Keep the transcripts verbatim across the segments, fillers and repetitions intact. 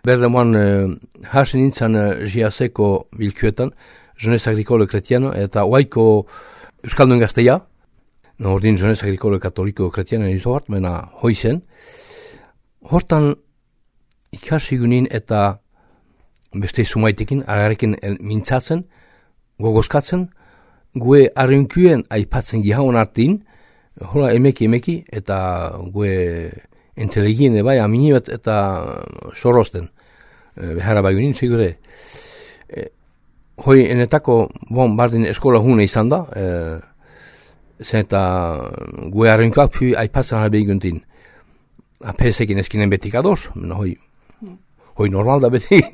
Berdemoan uh, hasen nintzen uh, jiazeko bilkuetan, Jeunesse Agricole Kretiano, eta oaiko Euskaldun gazteia, no, ordin Jeunesse Agricole Katoliko Kretiano izo hart, mena hoizen. Hortan ikasi gunin eta beste sumaitekin, agarekin mintzatzen, gogozkatzen, gue arrinkuen aipatzen gihaun artin, hola emeki emeki, eta gue inteligien bai amini bat eta sorosten. E, behara bai gunin, segure. E, hoi enetako, bon, bardin eskola hune izan da, e, zen eta gue arrinkuak pi aipatzen harbe guntin. Apesekin eskinen betik ados, hoi, hoi normal da betik.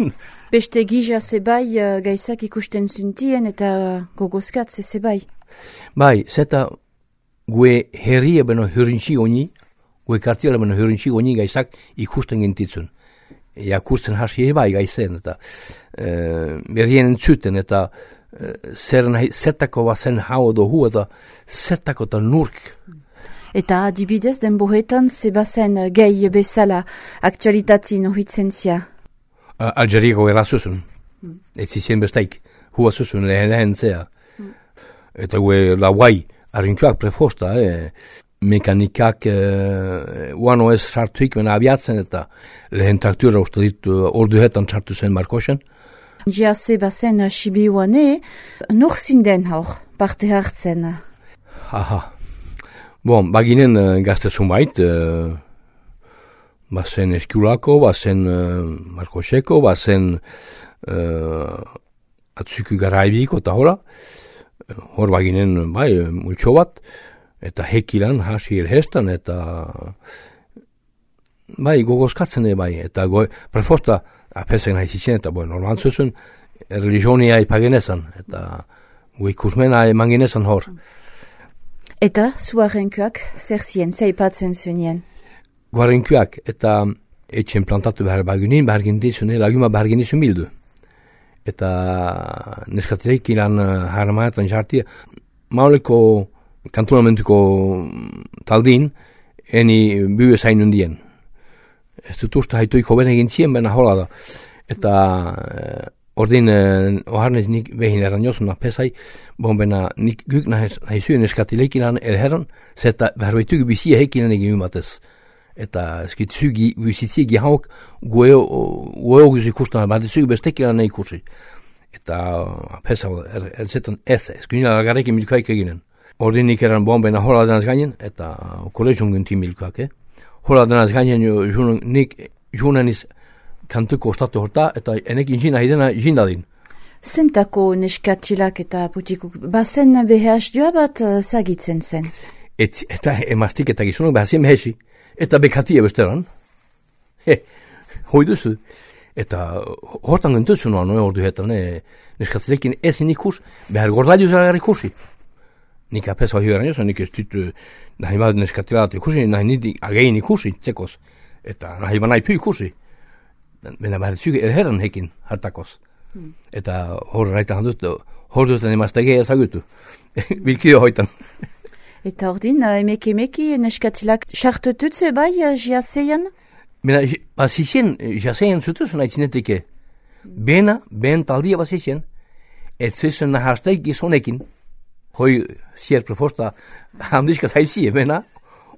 Beste gija zebai uh, gaizak ikusten zuntien eta gogozkatze zebai. Bai, zeta gue herria beno hurintxi honi, gue kartiela beno hurintxi honi gaizak ikusten gintitzun. Ja kusten hasi bai gaizen, eta uh, berrien entzuten, eta uh, zer nahi, zertako bazen hau dohu, eta zertako eta nurk. Eta adibidez den bohetan zebazen gehi bezala aktualitatin ohitzen zia. Uh, Algeriako era zuzun. Mm. Ez zizien bestaik. Hua zuzun lehen lehen zea. Mm. Eta gue la guai arrintuak prefosta, eh? Mekanikak eh, uano ez sartuik mena abiatzen eta lehen traktura uste ditu orduhetan sartu zen Markosen. Ja zebazen Sibiuane, nur zinden hor parte hartzen. Aha. Bon, baginen uh, gazte zumait, uh, bazen Eskulako, bazen uh, Markoseko, bazen uh, Atzuku Garaibiko eta hola. Hor baginen, bai, multxo bat, eta hekilan hasi erhestan, eta bai, gogozkatzen bai, eta go, prefosta, apesen haizizien, eta boi, normal zuzun, religionia ipagenezan, eta goi kusmena emangenezan hor. Eta zuarenkuak zer zien, zeipatzen zunien? Guarenkuak eta etxen plantatu behar bagunin, behar gindizune, laguma behar gindizun bildu. Eta neskatileik ilan haramaetan jartia, mauleko kantonamentuko taldin, eni bue zainun dien. Ez dut usta haituiko bene gintzien, bena hola da. Eta ordin uh, oharnez nik behin eran jozun apesai, bon bena nik guk nahizuen eskatileik ilan erheran, zeta beharbeitugu bizia hekinan egin batez. Eta eskitzugi bizitziegi hauk gueoguz ikustan, baditzugu bestek ilan ikusi. Eta apesa erzetan ez, eskunila lagarekin milkoaik eginen. Ordin nik eran bon bena hola denaz gainen, eta kolegion gunti milkoak, eh? Hola denaz gainen nik junaniz kantuko ostatu horta, eta enek inzina hidena jindadin. Zentako neskatilak eta putikuk, bazen behaz joa bat uh, zagitzen zen? Et, eta emaztik eta gizunok behazien behezi, eta bekatia besteran. He, hoi duzu. Eta hortan gentuzu noa noe ordu hetan, ne, neskatilekin ezin ikus, behar gordailu zara ikusi. Nik apesa hori eran joza, nik ez ditu nahi bat neskatilat ikusi, nahi nidi agein ikusi, txekos. Eta nahi banai pu ikusi. Bena behar zuge erheran hekin hartakoz. Hmm. Eta hor raitan handut, hor duten emaztegea ezagutu. Bilkio hoitan. Eta ordin, emeki emeki neskatilak sartututze bai jiazeian? Bena, bazizien jiazeian zutuzun aitzinetike. Bena, ben taldia bazizien, et zuzun nahasteik gizonekin. Hoi zier prefosta handizkat haizie, bena,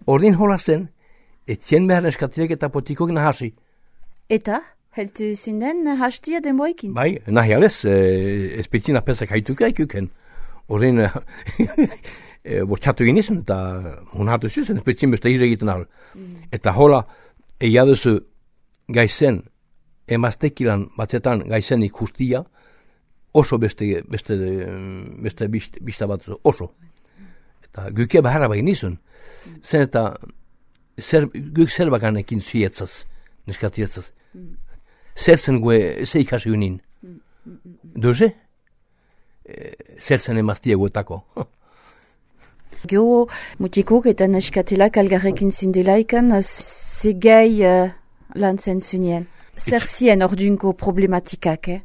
ordin hola zen, et zien behar neskatilek eta potikok nahasi. Eta, heltu zinden hastia denboekin? Bai, nahi alez, e, espetzina pesak haituka ikuken. Horrein, e, bortxatu ginizun, eta hunatu zuzen, espetzin beste egiten al. Mm. Eta hola, eiaduzu gaizen, emaztekilan batzetan gaizen ikustia, oso beste, beste, beste bista bat oso. Eta guke baharra bagin izun. Mm. Zen eta, zer, guk zer baganekin zietzaz, neskatietzaz. Mm. Zerzen gue zeikasi unin. Mm. Doze? E, zerzen emaztia guetako. Gio, mutikuk eta neskatilak algarrekin zindelaikan, zegei uh, lan zen zunien. Zer zien ordunko problematikak, eh?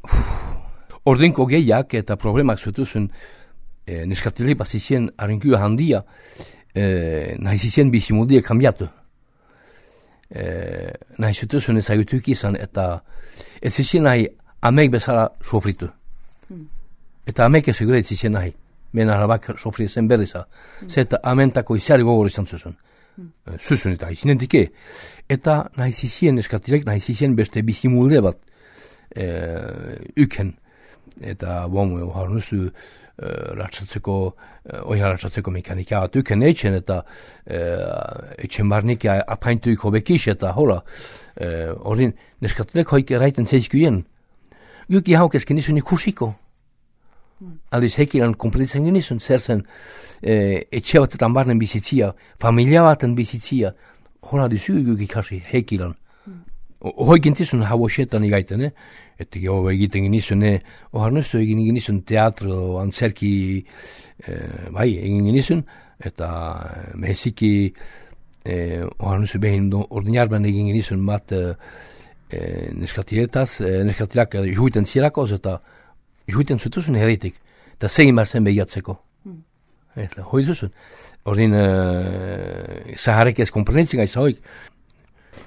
Ordunko gehiak eta problemak zutuzun e, neskatilei bazizien arrinkua handia, e, nahizizien bizimuldia kambiatu. e, nahi zutuzun ezagutuk izan, eta ez zizien nahi amek bezala sofritu. Mm. Eta amek ez egure ez zizien nahi. Ben arabak sofri zen berriza. Mm. Zeta amentako izari gogor izan zuzun. Mm. Zuzun eta izinen dike. Eta nahi zizien eskatilek, nahi zizien beste bizimulde bat e, uken. Eta bon, hor nuzu e, ratsatzeko, e, oia ratsatzeko mekanika bat uken etxen, eta e, etxen barnik apaintuik hobekix, eta hola, horrin e, neskatilek hoik eraiten zeizkuien. Juki hauk ezken izun ikusiko. Mm. Aldiz hekilan kompletitzen genizun, zer zen e, etxe batetan barnen bizitzia, familia baten bizitzia, hola dizu juki kasi hekilan. Mm. Hoi gintizun hau xetan igaiten, eh? Eta geho egiten genizun, eh? Ohar nuzu egin genizun teatro, antzerki, eh, bai, egin genizun, eta meheziki, eh, ohar nuzu behin ordinarben egin genizun bat, eh, E, neskatiletaz, e, neskatilak e, juiten zielakoz, eta juiten zutuzun herritik, eta zegin behar zen behiatzeko. Mm. Eta hoi zuzun. Ordin, e, zaharek ez komprenetzen gaiz hoik.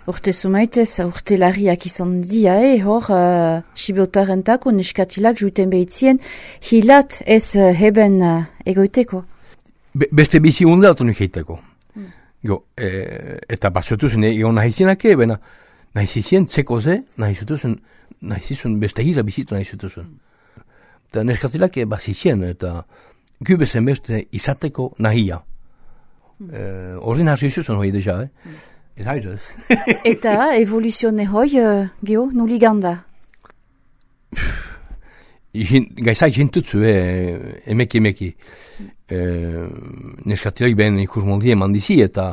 Urte zumaitez, urte larriak izan dia, eh, hor, uh, sibeotarentako neskatilak juiten behitzien, hilat ez uh, heben uh, egoiteko? Be, beste bizi undatu nuk heiteko. Mm. Go, e, eta bazutuzun egon nahizinak ebena, nahi zizien txeko ze, nahi zutuzun, nahi zizun beste gira bizitu nahi zutuzun. Eta neskatilak bazizien, eta gubezen beste izateko nahia. Horren mm. hasi zuzun hoi deja, eh? Mm. Eta haidaz. Eta evoluzione hoi, uh, geho, nuli ganda? Gaizak jintutzu, eh, emeki emeki. Mm. Eh, neskatilak ben ikus moldie mandizi, eta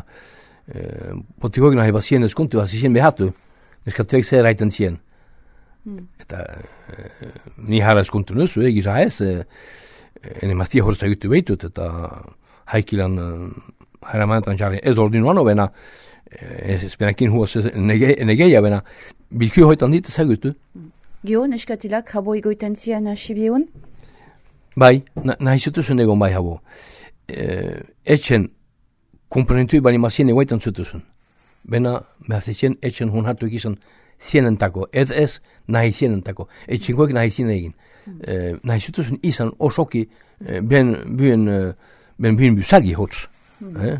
eh, potikoak nahi bazien eskuntu, bazizien behatu. Neskatilek zer eraiten zien. Mm. Eta e, ni hara eskuntu nuzu, e, gisa ez, e, ene maztia horreza gitu behitut, eta haikilan e, hara manetan jarri ez ordinuano bena, ez e, benakin huaz nege, negeia bena, bilkio hoitan dit ezagutu. Mm. Gio, neskatilak habo egoiten zien asibieun? Bai, na, nahi zutuzun egon bai habo. E, etxen, komponentui bani mazien egoitan zutuzun. Bena, behar zizien, etxen hun hartu egizan zienentako, ez ez nahi zienentako, etxenkoek nahi zien egin. Mm. E, nahi zutuzun izan osoki, e, ben buen, ben buen busagi hotz. Mm. Eh?